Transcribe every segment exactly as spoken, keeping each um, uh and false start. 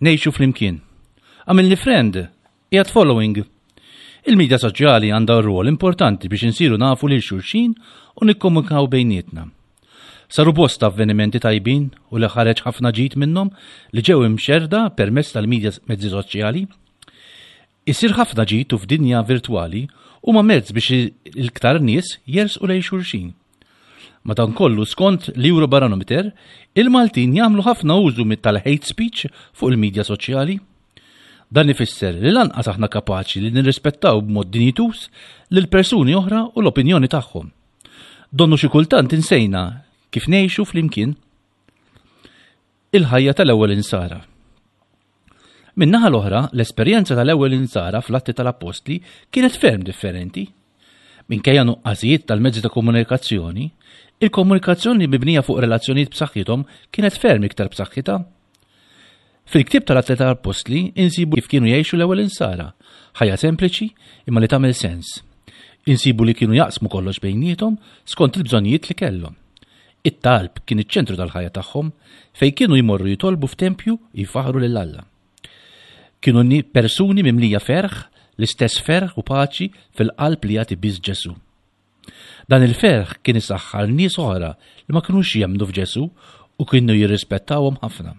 Ngħixu flimkien. Għamilni friend, qiegħed following. Il-medja soċjali għandha rwol importanti biex insiru nafu lil xulxin u nikkomunikaw bejnietna. Saru bosta avvenimenti tajbin u li ħareġ ħafna ġid minnhom li ġew imxerda permezz tal-medja mezzi soċjali. Isir ħafna ġid u f'dinja virtwali huma mezz biex il-ktar nies jersqu lejn xulxin. Madankollu skont l-Eurobarometer, il-Maltin jagħmlu ħafna użu mit tal-hate speech fuq il-medja soċjali. Dan ifisser li lanqas aħna kapaċi li nirrispettaw b'mod dinjituż lil persuni oħra u l-opinjoni tagħhom. Donnu xi kultant insejna kif ngħixu flimkien. Il-ħajja tal-ewwel insara. Min-naħa l-oħra, l-esperjenza tal-ewwel insara fl-Atti tal-Appostli kienet ferm differenti. Minkejja nuqqasijiet tal-mezzi ta' komunikazzjoni, il-komunikazzjoni mibnija fuq relazzjonijiet b'saħħithom kienet ferm iktar b'saħħitha. Fil-ktieb tal-Atti tal-Appostli insibu kif kienu jgħixu l-ewwel insara, ħajja sempliċi imma li tagħmel sens. Insibu li kienu jaqsmu kollox bejniethom skont il-bżonnijiet li kellhom. It-talb kien iċ-ċentru tal-ħajja tagħhom fejn kienu jmorru jitolbu f'tempju jfaħru lil Alla. Kienu ni- persuni mimlija ferħ, l-istess ferħ u paċi fil-qalb li jagħti biss Ġesù. Dan il-ferħ kien isaħħar nies oħra li ma kinux jemmnu f'Ġesù u kienu jirrispettawhom ħafna.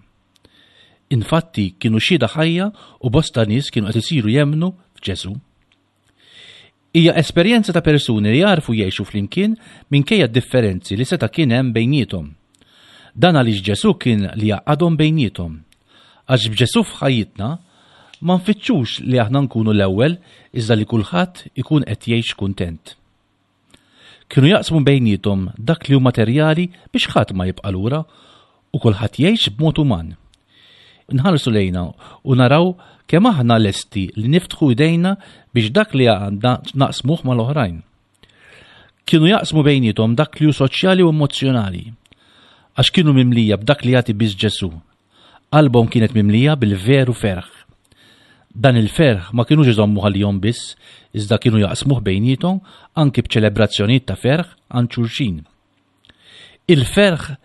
Infatti kienu xhieda ħajja u bosta nies kienu qed isiru jemmnu f'Ġesù. Hija esperjenza ta' persuni li jarfu jgħixu flimkien minkejja differenzi li seta' kien hemm bejniethom. Dan għaliex Ġesù kien li jgħaqqadhom bejniethom. Għax b'Ġesù f'ħajjitna ma nfittxux li aħna nkunu l-ewwel iżda li kulħadd ikun qed jgħix kuntent. Kienu jaqsmu bejniethom dak li hu materjali biex ħadd ma jibqa' lura u kulħadd jgħix b'mod uman. Nħarsu lejna u naraw kemm aħna lesti li niftħu idejna biex dak li għandna naqsmuh mal-oħrajn. Kienu jaqsmu bejniethom dak li hu soċjali u emozjonali, għax kienu mimlija b'dak li jagħti biss Ġesù. Qalbhom kienet mimlija bil-veru ferħ. Dan il-ferħ ma kienux iżommu għalihom biss, iżda kienu jaqsmuh bejniethom anki b'ċelebrazzjonijiet ta' ferħ għand xulxin. Il-ferħ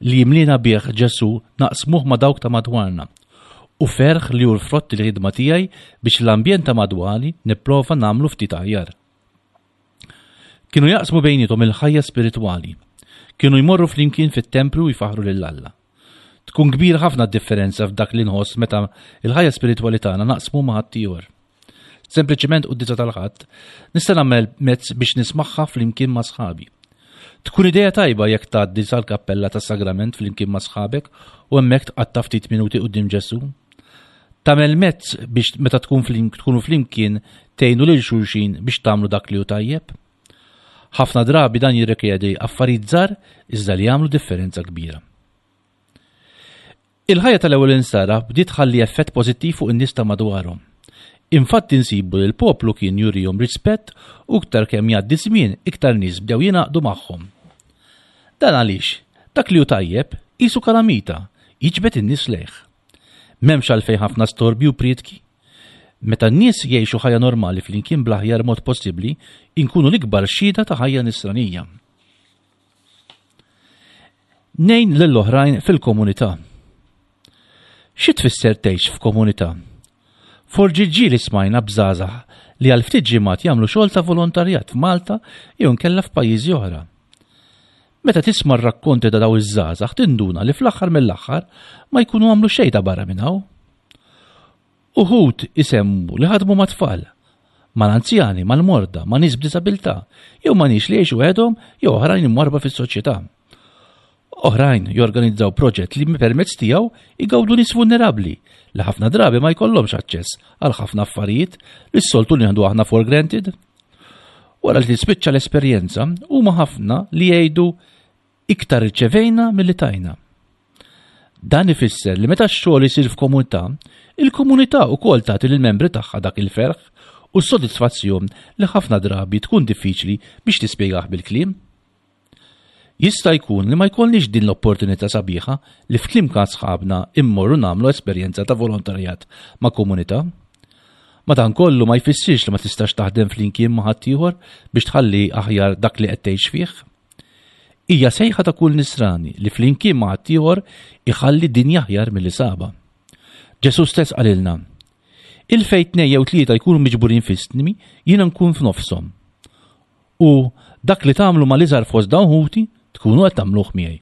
li jimlina bih Ġesù naqsmuh ma' dawk ta' madwarna u ferħ li hu l-frott il-ħidma tiegħi biex l-ambjent ta' madwari nipprova nagħmlu ftit aħjar. Kienu jaqsmu bejniethom il-ħajja spiritwali. Kienu jmorru flimkien fit-tempju u jfaħru lil Alla. Tkun kbira ħafna d-differenza f'dak li nħoss meta il-ħajja spiritwali tagħna naqsmu ma' ħaddieħor. Sempliċiment quddiesa tal-Ħadd nista' nagħmel mezz biex nismagħha flimkien ma' sħabi. Tkun idea tajba jekk tgħaddi sal-kappella tas-sagrament flimkien ma' sħabek u hemmhekk tqatta' ftit minuti quddiem Ġesù. Tagħmel mezz biex meta tkun flim, tkunu flimkien tgħinu lil xulxin biex tagħmlu dak li hu tajjeb. Ħafna drabi dan jirrikjedi affarijiet żgħar iżda li jagħmlu differenza kbira. Il-ħajja tal-ewwel insara bdiet tħalli effett pożittiv fuq in-nies ta' madwarhom. Infatti nsibu li l-poplu kien jurihom rispett u iktar kemm jgħaddi żmien iktar nies bdew jingħaqdu magħhom. Dan għaliex dak li hu tajjeb qisu kalamita jiġbed in-nies lejh. M'hemmx għalfejn ħafna storbi u prietki. Meta n-nies jgħixu ħajja normali flimkien bl-aħjar mod possibbli, inkunu l-ikbar xhieda ta' ħajja nisranija. Ngħin lill-oħrajn fil-komunità. Xi tfisser tgħix f'komunità? Forsi ġieli smajna b'żgħażagħ li għal ftit ġimgħat jagħmlu xogħol ta' volontarjat f'Malta jew inkella f'pajjiżi oħra. Meta tisma' r-rakkonti ta' daw iż-żgħażagħ tinduna li fl-aħħar mill-aħħar ma jkunu għamlu xejn ta' barra minn hawn. Uħud isemmu li ħadmu ma' tfal, mal-anzjani, mal-morda, ma' nies b'diżabilità, jew ma' nies li jgħixu waħedhom jew oħrajn imwarrba fis-soċjetà. Oħrajn jorganizzaw proġett li permezz tiegħu igawdu nies vulnerabbli li ħafna drabi ma jkollhomx aċċess għal ħafna affarijiet li s-soltu nieħdu aħna for granted. Wara li tispiċċa l-esperjenza, huma ħafna li jgħidu iktar irċevejna milli tajna. Dan ifisser li meta x-xogħol isir f'komunità, il-komunità wkoll tagħti lill-membri tagħha dak il-ferħ u s-sodisfazzjon li ħafna drabi tkun diffiċli biex tispjegah bil-kliem. Jista' jkun li ma jkollniex din l-opportunità sabiħa li flimkien ma' sħabna immorru nagħmlu esperjenza ta' volontarjat ma' komunità. Madankollu ma jfissirx li ma tistax taħdem flimkien ma' ħaddieħor biex tħalli aħjar dak li qed tgħix fih. Hija sejħa ta' kull nisrani li flimkien ma' ħaddieħor iħalli dinja aħjar milli sabha. Ġesù stess qalilna, Il fejn tnejn jew tlieta jkunu miġburin f'ismi, jiena nkun f'nofshom. U dak li tagħmlu mal-iżgħar fost dawn ħuti, tkunu qed tagħmluh miegħi.